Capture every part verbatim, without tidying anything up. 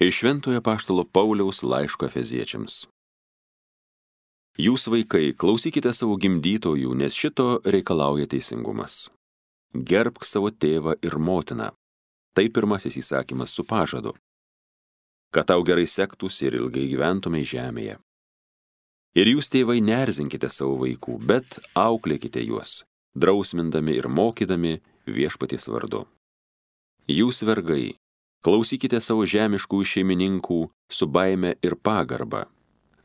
Iš Šventojo apaštalo Pauliaus laiško Efeziečiams. Jūs, vaikai, klausykite savo gimdytojų, nes šito reikalauja teisingumas. Gerbk savo tėvą ir motiną. Tai pirmasis įsakymas su pažadu, kad tau gerai sektųsi ir ilgai gyventumei žemėje. Ir jūs, tėvai, neerzinkite savo vaikų, bet auklėkite juos, drausmindami ir mokydami viešpaties vardu. Jūs, vergai, klausykite savo žemiškų šeimininkų su baime ir pagarba,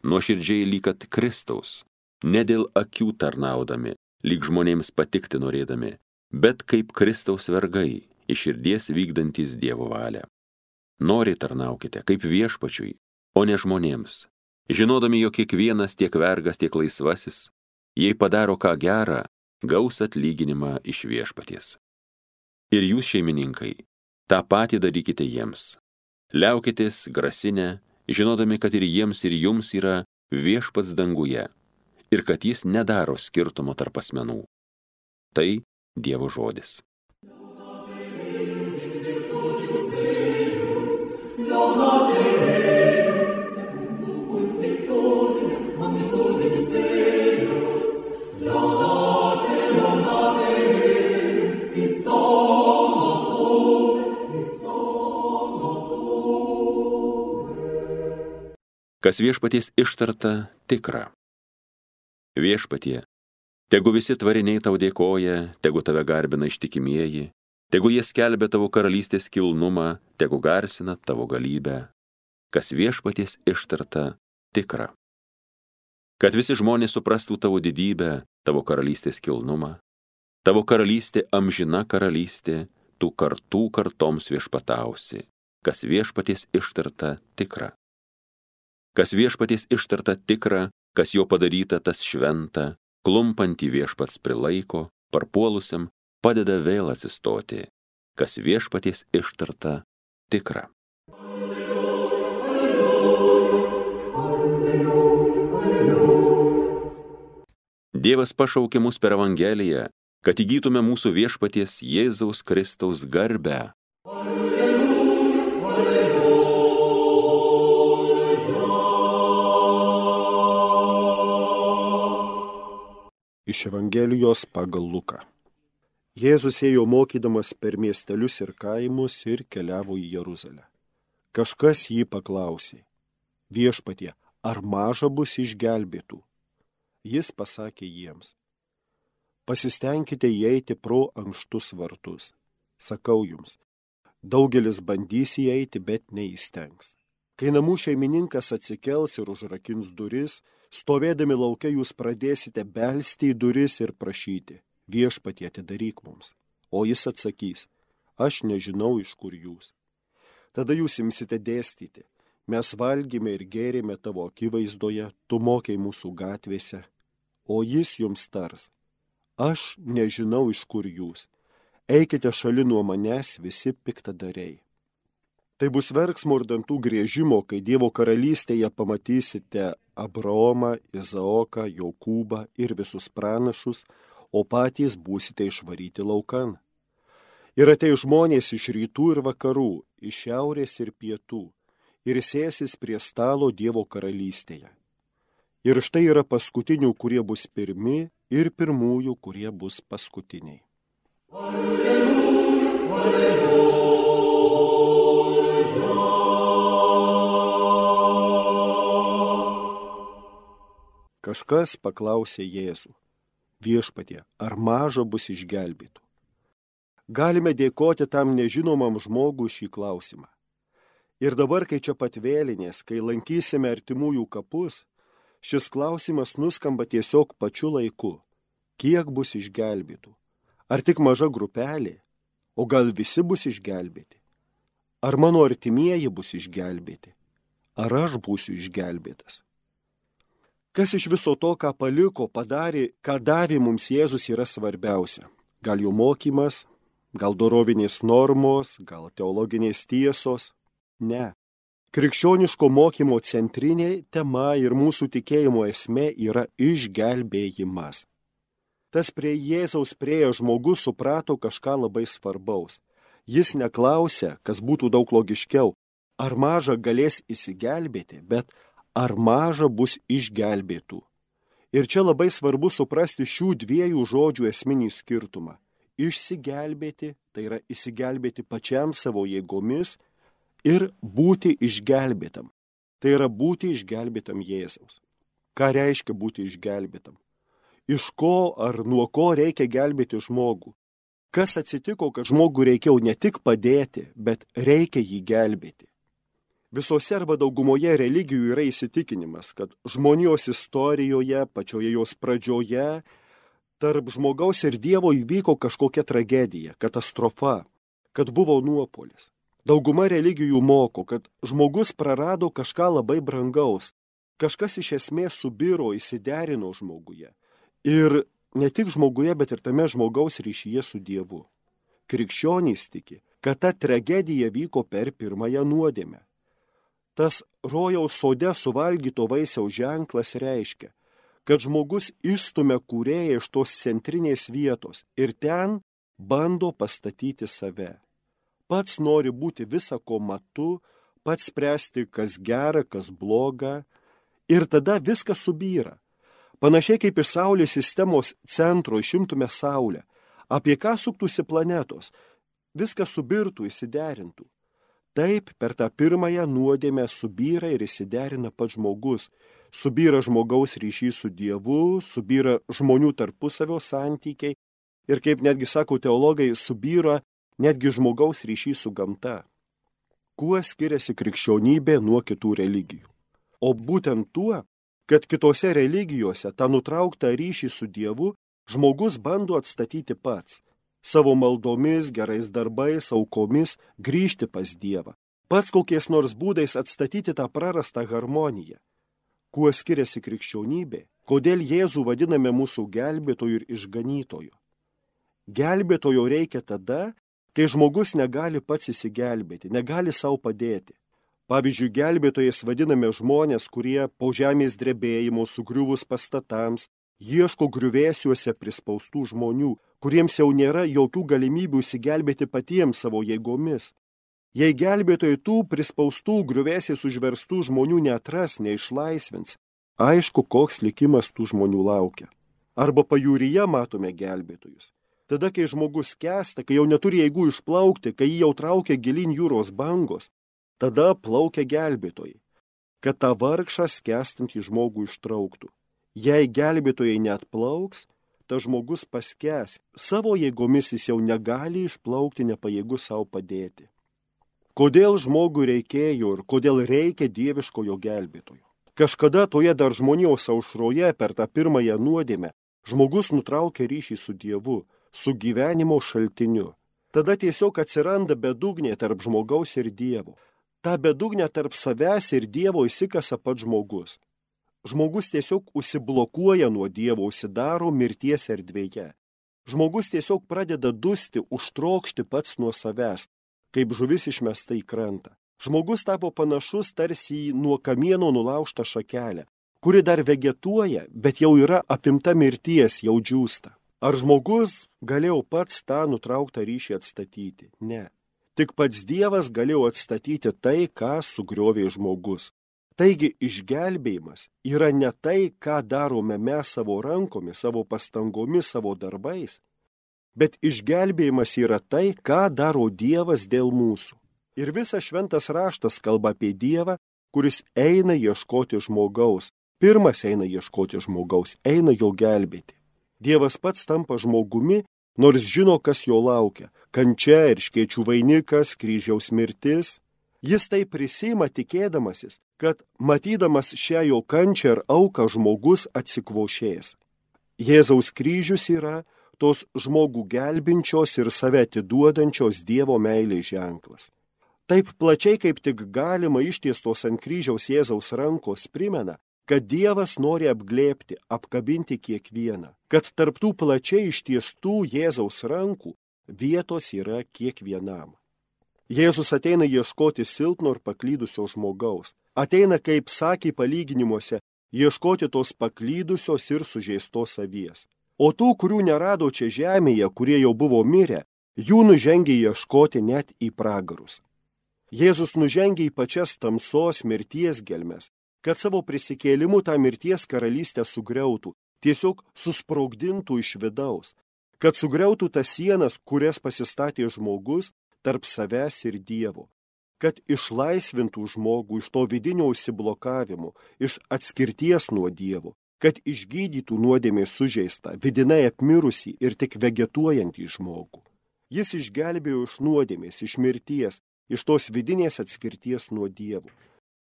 nuoširdžiai lyg kad Kristaus, ne dėl akių tarnaudami, lyg žmonėms patikti norėdami, bet kaip Kristaus vergai, iš širdies vykdantys Dievo valią. Noriai tarnaukite, kaip viešpačiui, o ne žmonėms, žinodami, jog kiekvienas tiek vergas, tiek laisvasis, jei padaro ką gerą, gaus atlyginimą iš viešpaties. Ir jūs, šeimininkai, tą patį darykite jiems. Liaukitės grasinę, žinodami, kad ir jiems, ir jums yra viešpats danguje, ir kad jis nedaro skirtumo tarp asmenų. Tai Dievo žodis. Kas viešpaties ištarta, tikra. Viešpatie, tegu visi tvariniai tau dėkoja, tegu tave garbina ištikimieji, tegu jie skelbia tavo karalystės kilnumą, tegu garsina tavo galybę. Kas viešpaties ištarta, tikra. Kad visi žmonės suprastų tavo didybę, tavo karalystės kilnumą, tavo karalystė amžina karalystė, tu kartų kartoms viešpatausi. Kas viešpaties ištarta, tikra. Kas viešpaties ištarta tikra, kas jo padaryta tas šventa, klumpantį viešpats prilaiko, parpuolusiam padeda vėl atsistoti. Kas viešpaties ištarta tikra. Dievas pašaukė mus per Evangeliją, kad įgytume mūsų viešpaties Jėzaus Kristaus garbę. Iš Evangelijos pagal Luką. Jėzus ėjo mokydamas per miestelius ir kaimus ir keliavo į Jeruzalę. Kažkas jį paklausė: Viešpatie, ar maža bus išgelbėtų? Jis pasakė jiems: Pasistengkite įeiti pro ankštus vartus. Sakau jums, daugelis bandys įeiti, bet neįstengs. Kai namų šeimininkas atsikels ir užrakins duris, stovėdami lauke jūs pradėsite belsti į duris ir prašyti: Viešpatie, atidaryk mums. O jis atsakys: Aš nežinau, iš kur jūs. Tada jūs imsite dėstyti: Mes valgėme ir gėrėme tavo akivaizdoje, tu mokei mūsų gatvėse. O jis jums tars: Aš nežinau, iš kur jūs. Eikite šalin nuo manęs, visi piktadariai. Tai bus verksmo ir dantų griežimo, kai Dievo karalystėje pamatysite Abraomą, Izaoką, Jokūbą ir visus pranašus, o patys būsite išvaryti laukan. Ir ateis žmonės iš rytų ir vakarų, iš šiaurės ir pietų, ir sėsis prie stalo Dievo karalystėje. Ir štai yra paskutinių, kurie bus pirmi, ir pirmųjų, kurie bus paskutiniai. Alleluja, alleluja. Kažkas paklausė Jėzų: Viešpatie, ar maža bus išgelbėtų? Galime dėkoti tam nežinomam žmogui šį klausimą. Ir dabar, kai čia pat vėlinės, kai lankysime artimųjų kapus, šis klausimas nuskamba tiesiog pačiu laiku. Kiek bus išgelbėtų? Ar tik maža grupelė? O gal visi bus išgelbėti? Ar mano artimieji bus išgelbėti? Ar aš būsiu išgelbėtas? Kas iš viso to, ką paliko, padarė, ką davė mums Jėzus, yra svarbiausia? Gal jo mokymas, gal dorovinės normos, gal teologinės tiesos? Ne. Krikščioniško mokymo centrinė tema ir mūsų tikėjimo esmė yra išgelbėjimas. Tas prie Jėzaus priėjęs žmogus suprato kažką labai svarbaus. Jis neklausė, kas būtų daug logiškiau: ar maža galės įsigelbėti, bet ar maža bus išgelbėtų. Ir čia labai svarbu suprasti šių dviejų žodžių esminį skirtumą. Išsigelbėti, tai yra įsigelbėti pačiam savo jėgomis, ir būti išgelbėtam, tai yra būti išgelbėtam Jėzaus. Ką reiškia būti išgelbėtam? Iš ko ar nuo ko reikia gelbėti žmogų? Kas atsitiko, kad žmogui reikėjo ne tik padėti, bet reikia jį gelbėti? Visose arba daugumoje religijų yra įsitikinimas, kad žmonijos istorijoje, pačioje jos pradžioje, tarp žmogaus ir Dievo įvyko kažkokia tragedija, katastrofa, kad buvo nuopuolis. Dauguma religijų moko, kad žmogus prarado kažką labai brangaus, kažkas iš esmės subiro, įsiderino žmoguje. Ir ne tik žmoguje, bet ir tame žmogaus ryšyje su Dievu. Krikščionys tiki, kad ta tragedija vyko per pirmąją nuodėmę. Tas rojaus sode suvalgyto vaisiaus ženklas reiškia, kad žmogus išstumia kūrėją iš tos centrinės vietos ir ten bando pastatyti save. Pats nori būti visa ko matu, pats spręsti, kas gera, kas bloga, ir tada viskas subyra. Panašiai kaip iš Saulės sistemos centro išimtume Saulę, apie ką suktųsi planetos, viskas subirtų, įsiderintų. Taip, per tą pirmąją nuodėmę subyra ir įsiderina pats žmogus, subyra žmogaus ryšys su Dievu, subyra žmonių tarpusavio santykiai ir, kaip netgi sako teologai, subyra netgi žmogaus ryšys su gamta. Kuo skiriasi krikščionybė nuo kitų religijų? O būtent tuo, kad kitose religijose tą nutrauktą ryšį su Dievu žmogus bando atstatyti pats, savo maldomis, gerais darbais, aukomis grįžti pas Dievą, pats kokiais nors būdais atstatyti tą prarastą harmoniją. Kuo skiriasi krikščionybė? Kodėl Jėzų vadiname mūsų gelbėtoju ir išganytoju? Gelbėtojo reikia tada, kai žmogus negali pats įsigelbėti, negali savo padėti. Pavyzdžiui, gelbėtojais vadiname žmonės, kurie po žemės drebėjimo sugriuvus pastatams ieško griuvėsiuose prispaustų žmonių, kuriems jau nėra jokių galimybių įsigelbėti patiems savo jėgomis. Jei gelbėtojai tų prispaustų griuvėsiais užverstų žmonių neatras, neišlaisvins, aišku, koks likimas tų žmonių laukia. Arba pajūryje matome gelbėtojus. Tada, kai žmogus skęsta, kai jau neturi jėgų išplaukti, kai jį jau traukia gilin jūros bangos, tada plaukia gelbėtojai, kad tą vargšą skęstantį žmogų ištrauktų. Jei gelbėtojai neatplauks, ta žmogus paskęs, savo jėgomis jis jau negali išplaukti, nepajėgus savo padėti. Kodėl žmogui reikėjo ir kodėl reikia dieviškojo gelbėtojo? Kažkada toje dar žmonijos aušroje per tą pirmąją nuodėmę žmogus nutraukia ryšį su Dievu, su gyvenimo šaltiniu. Tada tiesiog atsiranda bedugnė tarp žmogaus ir Dievo. Ta bedugnė tarp savęs ir Dievo įsikasa pats žmogus. Žmogus tiesiog užsiblokuoja nuo Dievo, užsidaro mirties erdvėje. Žmogus tiesiog pradeda dusti, užtrokšti pats nuo savęs, kaip žuvis išmesta į krantą. Žmogus tapo panašus tarsi į nuo kamieno nulaužtą šakelę, kuri dar vegetuoja, bet jau yra apimta mirties, jau džiūsta. Ar žmogus galėjo pats tą nutrauktą ryšį atstatyti? Ne. Tik pats Dievas galėjo atstatyti tai, ką sugriovė žmogus. Taigi išgelbėjimas yra ne tai, ką darome mes savo rankomis, savo pastangomis, savo darbais, bet išgelbėjimas yra tai, ką daro Dievas dėl mūsų. Ir visas šventas raštas kalba apie Dievą, kuris eina ieškoti žmogaus. Pirmas eina ieškoti žmogaus, eina jo gelbėti. Dievas pats tampa žmogumi, nors žino, kas jo laukia. Kančia ir škėčių vainikas, kryžiaus mirtis. Jis tai prisima tikėdamasis, kad matydamas šią jo kančią ir auką žmogus atsikvošės. Jėzaus kryžius yra tos žmogų gelbinčios ir save atiduodančios Dievo meilės ženklas. Taip plačiai, kaip tik galima ištiestos ant kryžiaus Jėzaus rankos primena, kad Dievas nori apglėbti, apkabinti kiekvieną, kad tarptų plačiai ištiestų Jėzaus rankų vietos yra kiekvienam. Jėzus ateina ieškoti silpno ir paklydusio žmogaus. Ateina, kaip sakė palyginimuose, ieškoti tos paklydusios ir sužeistos avies. O tų, kurių nerado čia žemėje, kurie jau buvo mirę, jų nužengė ieškoti net į pragarus. Jėzus nužengia į pačias tamsos mirties gelmes, kad savo prisikėlimu tą mirties karalystę sugriautų, tiesiog susprogdintų iš vidaus, kad sugriautų tas sienas, kurias pasistatė žmogus tarp savęs ir Dievo, kad išlaisvintų žmogų iš to vidinio užsiblokavimo, iš atskirties nuo Dievo, kad išgydytų nuodėmės sužeistą, vidinai apmirusį ir tik vegetuojantį žmogų. Jis išgelbėjo iš nuodėmės, iš mirties, iš tos vidinės atskirties nuo Dievo.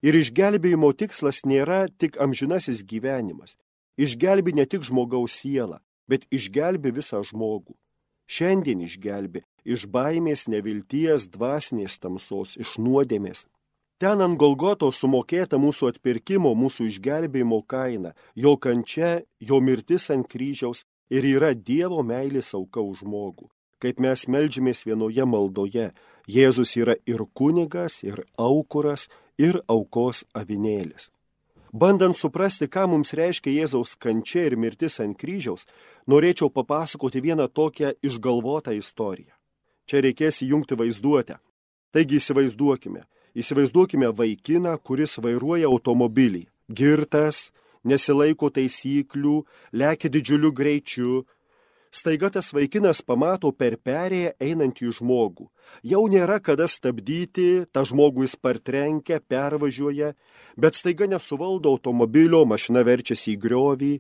Ir išgelbėjimo tikslas nėra tik amžinasis gyvenimas. Išgelbi ne tik žmogaus sielą, bet išgelbi visą žmogų. Šiandien išgelbi iš baimės, nevilties, dvasinės tamsos, iš nuodėmės. Ten ant Golgotos sumokėta mūsų atpirkimo, mūsų išgelbėjimo kaina, jo kančia, jo mirtis ant kryžiaus ir yra Dievo meilės auka už žmogų. Kaip mes meldžiamės vienoje maldoje, Jėzus yra ir kunigas, ir aukuras, ir aukos avinėlis. Bandant suprasti, ką mums reiškia Jėzaus kančia ir mirtis ant kryžiaus, norėčiau papasakoti vieną tokią išgalvotą istoriją. Čia reikės įjungti vaizduotę. Taigi įsivaizduokime, įsivaizduokime vaikiną, kuris vairuoja automobilį. Girtas, nesilaiko taisyklių, lekia didžiuliu greičiu. Staiga tas vaikinas pamato per perėją einantį žmogų. Jau nėra kada stabdyti, tą žmogų jis partrenkia, pervažiuoja, bet staiga nesuvaldo automobilio, mašina verčiasi į griovį,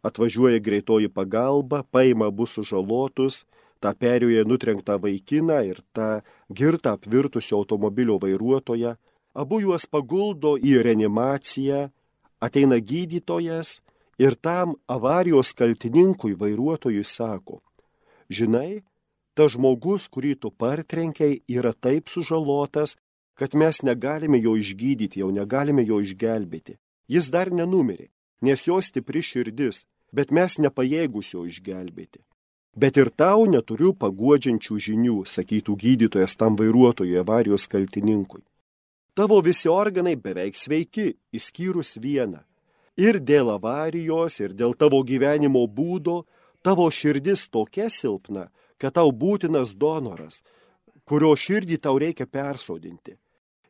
atvažiuoja greitoji pagalba, paima abu sužalotus, tą perėjoje nutrenktą vaikiną ir tą girtą apvirtusio automobilio vairuotoją. Abu juos paguldo į reanimaciją, ateina gydytojas, ir tam avarijos kaltininkui vairuotojui sako, žinai, tas žmogus, kurį tu partrenkiai, yra taip sužalotas, kad mes negalime jo išgydyti, jau negalime jo išgelbėti. Jis dar nenumirė, nes jo stipri širdis, bet mes nepajėgus jo išgelbėti. Bet ir tau neturiu paguodžiančių žinių, sakytų gydytojas tam vairuotojui avarijos kaltininkui. Tavo visi organai beveik sveiki, išskyrus vieną. Ir dėl avarijos, ir dėl tavo gyvenimo būdo, tavo širdis tokia silpna, kad tau būtinas donoras, kurio širdį tau reikia persodinti.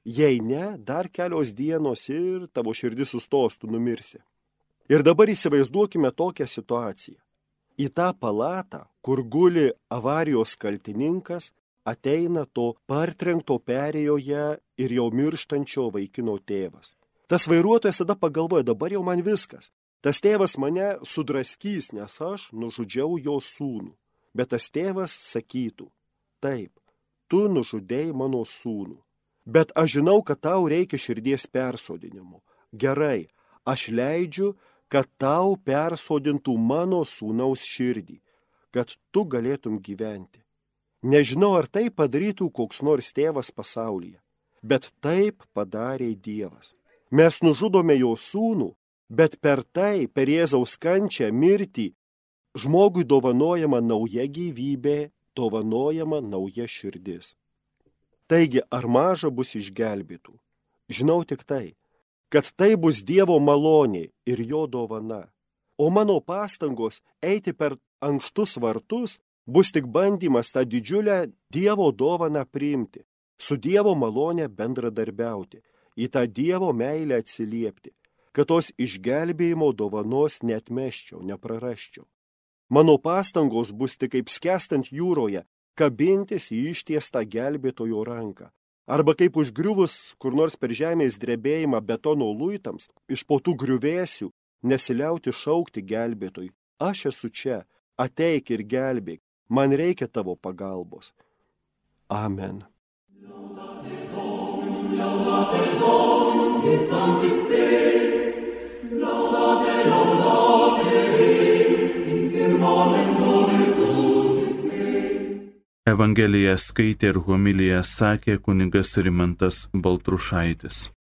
Jei ne, dar kelios dienos ir tavo širdis sustos, tu numirsi. Ir dabar įsivaizduokime tokią situaciją. Į tą palatą, kur guli avarijos kaltininkas, ateina to partrenkto perėjoje ir jau mirštančio vaikino tėvas. Tas vairuotojas tada pagalvoja, dabar jau man viskas. Tas tėvas mane sudraskys, nes aš nužudžiau jo sūnų. Bet tas tėvas sakytų, taip, tu nužudėjai mano sūnų. Bet aš žinau, kad tau reikia širdies persodinimo. Gerai, aš leidžiu, kad tau persodintų mano sūnaus širdį, kad tu galėtum gyventi. Nežinau, ar tai padarytų koks nors tėvas pasaulyje, bet taip padarė Dievas. Mes nužudome jo sūnų, bet per tai, per Jėzaus kančią, mirtį, žmogui dovanojama nauja gyvybė, dovanojama nauja širdis. Taigi, ar maža bus išgelbėtų? Žinau tik tai, kad tai bus Dievo malonė ir jo dovana. O mano pastangos eiti per ankštus vartus bus tik bandymas tą didžiulę Dievo dovaną priimti, su Dievo malonė bendradarbiauti, į tą Dievo meilę atsiliepti, kad tos išgelbėjimo dovanos neatmesčiau, neprarasčiau. Mano pastangos bus tik kaip skęstant jūroje, kabintis į ištiestą gelbėtojo ranką, arba kaip užgriuvus kur nors per žemės drebėjimą betono luitams, iš po tų griuvėsių nesiliauti šaukti gelbėtojui, aš esu čia, ateik ir gelbėk, man reikia tavo pagalbos. Amen. Laudate Dominum in sanctis seis, laudate, laudate, in firmamento virtutis seis. Evangeliją skaitė ir homiliją sakė kunigas Rimantas Baltrušaitis.